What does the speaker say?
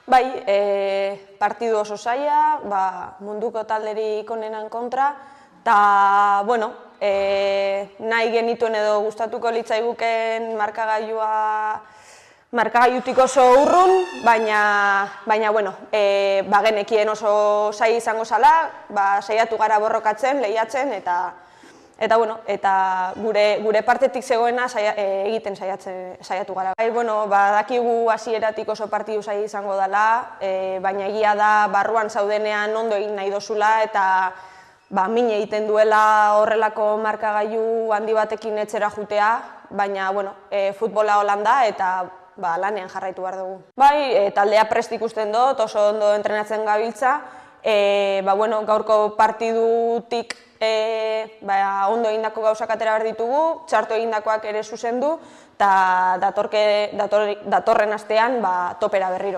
Bai, partidu oso zaila, munduko talderik onenan kontra, eta, bueno, nahi genituen edo gustatuko litzaiguken markagailutik oso urrun, baina, bueno, genekien oso zaila izango zala, saiatu gara borrokatzen, lehiatzen, eta gure partetik zegoena egiten saiatu gara. Badakigu hasieratik oso partidu zaila izango dela, baina egia da barruan zaudenean ondo egin nahi dozula eta min egiten duela horrelako markagailu handi batekin etxera jutea, baina futbola holan da eta lanean jarraitu behar dugu. Bai, taldea prest ikusten dut, oso ondo entrenatzen gabiltza, gaurko partidutik ondo egindako gauzak atera behar ditugu, txarto egindakoak ere zuzendu, eta datorren astean topera berriro.